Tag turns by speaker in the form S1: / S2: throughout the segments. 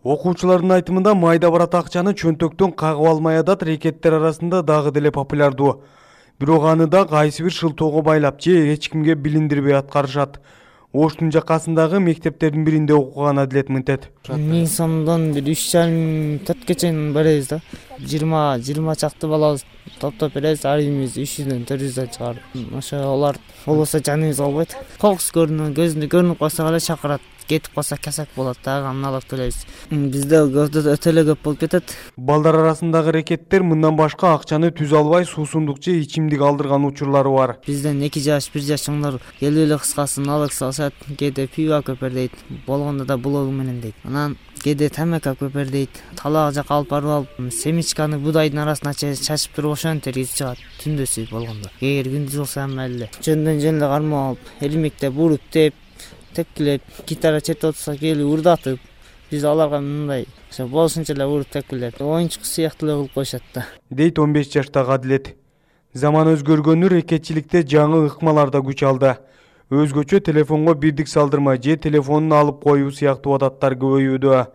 S1: Окуучулардын айтымында майда барат акчаны чөнтөктөн кагып алмай атат рекеттер арасында дагы деле популярдуу. Бирок аны да кайсы бир шылтоого байлап же эч кимге билиндирбей аткарышат. Оштун жакасындагы мектептердин биринде окуган Адилет мынтет.
S2: 1000 сомдон 3,5-4 чейин беребиз да. 20 чакты балабыз топтоп беребиз, ар бирибиз 300дөн 400дөн чыгарып. Ошо олар болбосо жаныбыз албайт. Кокус көзүндө көрүнүп калса эле чакырат. Кетип калса кесак болот да, аны алып төлөйбүз. Бизде өтө эле көп болуп кетет.
S1: Балдар арасындагы рекеттер мындан башка акчаны түзө албай суусундук же ичимдик алдырган учурлары бар.
S2: Бизден 2 жаш, 1 жаш чоңдор келип эле кыскасын алып салышат, кээде пиво көпөр дейт, болгондо да блогу менен дейт. Анан кээде тамака көпөр дейт, талаак жака алып барып алып, семечканы будайдын арасына чачып туруп ошентип киргизип чыгат түндөсү болгондо. Эгер күндүз болсо майлы. Жөндөн кармап алып, элмектеп, уруп теп, тепкилеп, гитара чертип отурса келип урдатып, биз аларга мындай болушунча эле уруп тепкилеп, оюнчук сыяктуу эле кылып коюшат да.
S1: Дейт 15 жаштагы Адилет. Заман өзгөргөнү рекетчиликте жаңы ыкмалар да күч алды. Өзгөчө телефонго бирдик салдырма же телефонун алып коюу сыяктуу адаттар көбөйүүдө.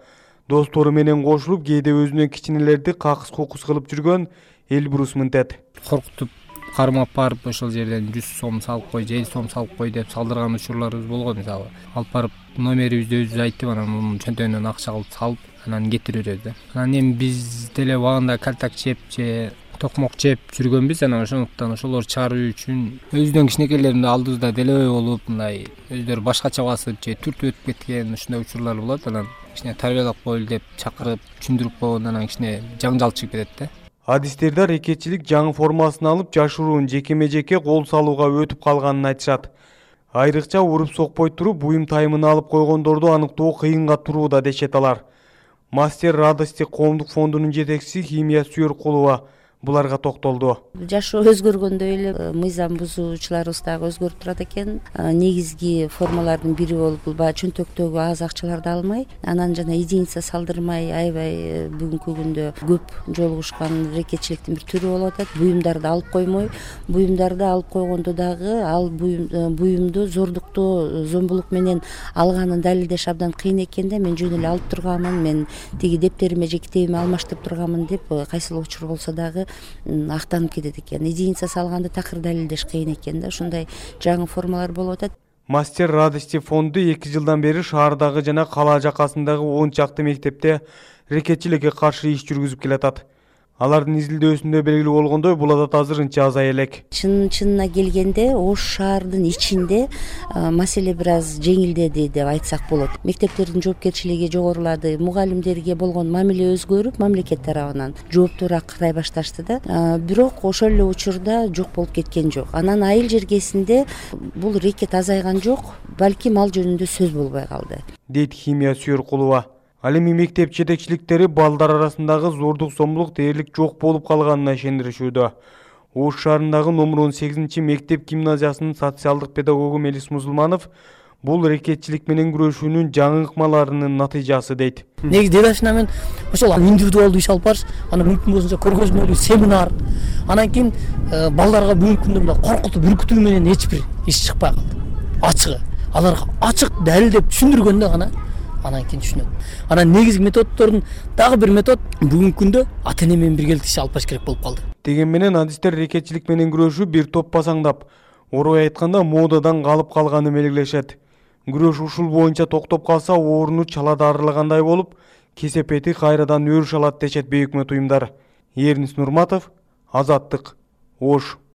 S1: Достору менен кошулуп, кээде өзүнөн кичинелерди какыс-кукус кылып жүргөн Элбрус мынтет.
S3: Коркутуп кармап барып ошол жерден 100 сом салып кой, 50 сом салып кой деп салдырган учурларыбыз болгон. Мисалы алып барып номерибизди өзүбүз айтып, анан мунун чөнтөгүнөн акча кылып салып, анан кетирип беребиз да. Анан эми биз деле убагында кальтак чеп же токмок чеп жүргөнбүз, анан ошондуктан ошолор чыгаруу үчүн өзүнүн кичинекейлеримди алдыбызда делебей болуп, мындай өздөрү башкача басып же түртүп өтүп кеткен ушундай учурлар болот. Анан кичине тарбиялап коелу деп чакырып, түшүндүрүп койгондо анан кичине жаңжал чыгып кетет да.
S1: Адистерде рекетчилик жаңы формасын алып, жашыруун жекеме-жеке кол салууга өтүп калганын айтышат. Айрыкча уруп сокпой туруп, буюм тайымын алып койгондорду аныктоо кыйынга турууда дешет алар. Мастер радости коомдук фондунун жетекчиси Химия Сүйөркулова буларга токтолду.
S4: Жашоо өзгөргөндөй эле мыйзам бузуучуларыбыз дагы өзгөрүп турат экен. Негизги формалардын бири болуп бул баягы чөнтөктөгү аз акчаларды алмай, анан жана единица салдырмай аябай бүгүнкү күндө көп жолугушкан рекетчиликтин бир түрү болуп атат. Буюмдарды алып коймой, буюмдарды алып койгондо дагы ал буюмду зордуктоо, зомбулук менен алганын далилдеш абдан кыйын экен да. Мен жөн эле алып турганмын, мен тиги дептериме же китебиме алмаштырып турганмын деп кайсыл учур болсо дагы актанып кетет экен. Единица салганды такыр далилдеш кыйын экен да. Ушундай жаңы формалар болуп атат.
S1: Мастер радости фонду 2 жылдан бери шаардагы жана кала жакасындагы 10 чакты мектепте рекетчиликке каршы иш жүргүзүп келатат. Алардын изилдөөсүндө белгилүү болгондой, бул адат азырынча азая элек.
S4: Чынына келгенде Ош шаардын ичинде маселе бир аз жеңилдеди деп айтсак болот. Мектептердин жоопкерчилиги жогорулады, мугалимдерге болгон мамиле өзгөрүп, мамлекет тарабынан жооптуураак карай башташты да. Бирок ошол эле учурда жок болуп кеткен жок. Анан айыл жергесинде бул рекет азайган жок, балким ал жөнүндө сөз болбой калды. Дейт
S1: Химия Сүйөркулова. Ал эми мектеп жетекчиликтери балдар арасындагы зордук зомбулук дээрлик жок болуп калганына ишендиришүүдө. Ош шаарындагы номер 18 мектеп гимназиясынын социалдык педагогу Мелис Мусулманов бул рекетчилик менен күрөшүүнүн жаңы ыкмаларынын натыйжасы дейт.
S5: Негизи делашына мен ошол индивидуалдуу иш алып барыш, анан мүмкүн болсончо көргөзмөлүү семинар, анан кийин балдарга бүгүнкү күндө мындай коркутуп үркүтүү менен эч бир иш чыкпай калды. Ачыгы аларга ачык далилдеп түшүндүргөндө гана анан кийин түшүнөт. Анан негизги методдордун дагы бир метод бүгүнкү күндө ата-эне менен биргеликте иш алып барыш керек болуп калды.
S1: Деген менен адистер рекетчилик менен күрөшүү бир топ басаңдап, орой айтканда модадан калып калганын белгилешет. Күрөш ушул боюнча токтоп калса, орну чалада арылагандай болуп, кесепети кайрадан өрүш алат дешет бейөкмөт уюмдар. Эрнис Нурматов, Азаттык, Ош.